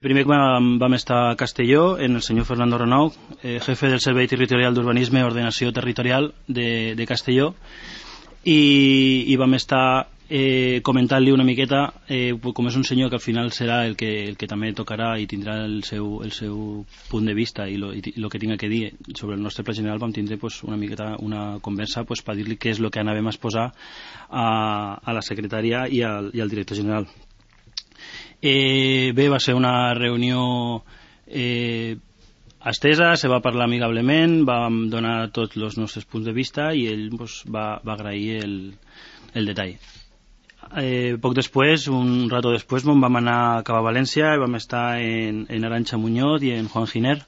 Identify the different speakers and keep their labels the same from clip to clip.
Speaker 1: primer vam estar a Castelló, en el senyor Fernando Renou, jefe del Servei Territorial d'Urbanisme i Ordenació Territorial de Castelló, i vam estar comentant-li una miqueta, com és un senyor que al final serà el que també tocarà i tindrà el seu punt de vista i el que tinga que dir sobre el nostre pla general, vam tindre una miqueta una conversa per dir-li què és el que anàvem a exposar a la secretària i al director general. Bé, va ser una reunió estesa, se va parlar amigablement, vam donar tots els nostres punts de vista i ell va agrair el detall. Poc després, un rato després, vam anar cap a València i vam estar en Arantxa Muñoz i en Juan Giner,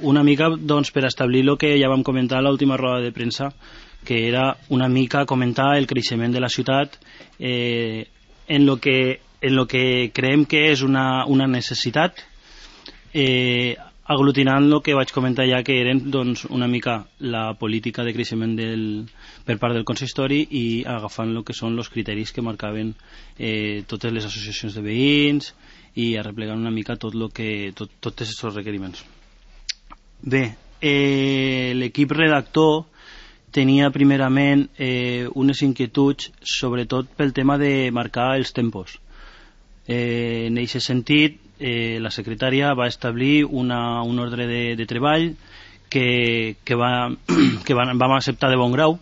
Speaker 1: una mica per establir el que ja vam comentar a l'última roda de premsa, que era una mica comentar el creixement de la ciutat en lo que creiem que és una necessitat, aglutinant el que vaig comentar ja, que eren una mica la política de creixement per part del consistori i agafant el que són els criteris que marcaven totes les associacions de veïns i arreplegant una mica tots aquests requeriments. Bé, l'equip redactor tenia primerament unes inquietuds sobretot pel tema de marcar els tempos. En aquest sentit, la secretària va establir un ordre de treball que vam acceptar de bon grau,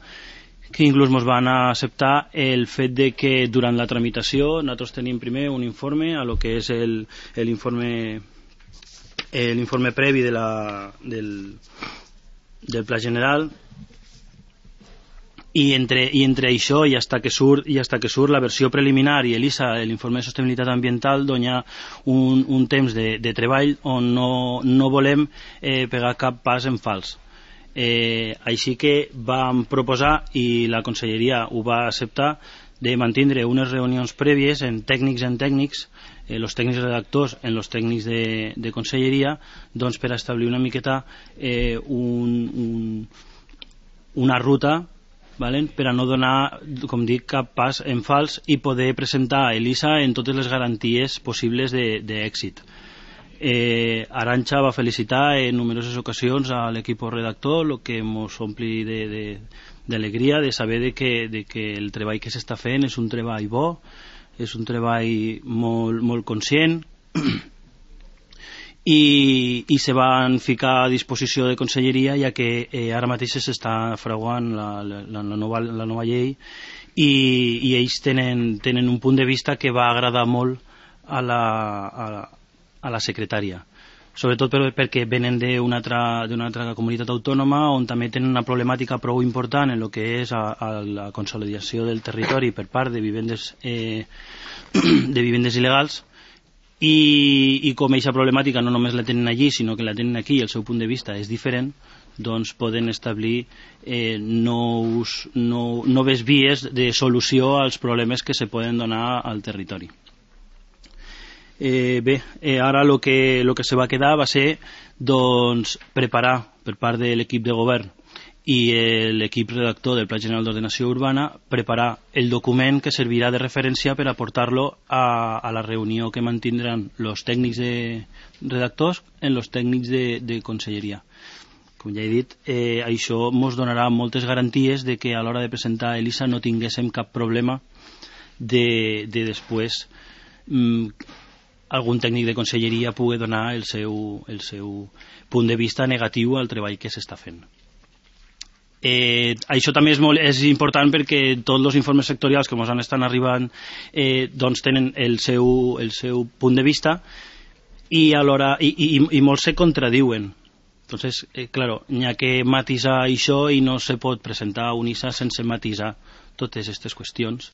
Speaker 1: que inclús ens van acceptar el fet de que durant la tramitació nosaltres tenim primer un informe a lo que és l'informe previ del pla general, i entre això i hasta que surt la versió preliminar i l'ISA, l'informe de sostenibilitat ambiental, hi ha un temps de treball on no volem pegar cap pas en fals. Així que vam proposar, i la conselleria ho va acceptar, de mantindre unes reunions prèvies en tècnics els tècnics redactors en els tècnics de conselleria, per establir una miqueta una ruta per a no donar, com dic, cap pas en fals i poder presentar a l'ISA en totes les garanties possibles d'èxit. Arantxa va felicitar en numeroses ocasions a l'equip redactor, el que ens ompli d'alegria de saber que el treball que s'està fent és un treball bo, és un treball molt conscient, i se van ficar a disposició de conselleria, ja que ara mateix s'està fraguant la nova llei i ells tenen un punt de vista que va agradar molt a la secretària, sobretot perquè venen d'una altra comunitat autònoma on també tenen una problemàtica prou important en el que és la consolidació del territori per part de vivendes il·legals. I com aquesta problemàtica no només la tenen allí, sinó que la tenen aquí i el seu punt de vista és diferent, doncs poden establir noves vies de solució als problemes que se poden donar al territori. Bé, ara el que se va quedar va ser preparar per part de l'equip de govern i l'equip redactor del Pla General d'Ordenació Urbana, preparar el document que servirà de referència per aportar-lo a la reunió que mantindran els tècnics redactors en els tècnics de conselleria. Com ja he dit, això ens donarà moltes garanties de que a l'hora de presentar a l'ISA no tinguéssim cap problema de després algun tècnic de conselleria pugui donar el seu punt de vista negatiu al treball que s'està fent. Això també és important perquè tots els informes sectorials que ens estan arribant tenen el seu punt de vista i molts se contradiuen. Entonces, claro, n'hi ha que matisar això i no se pot presentar un ISA sense matisar totes aquestes qüestions.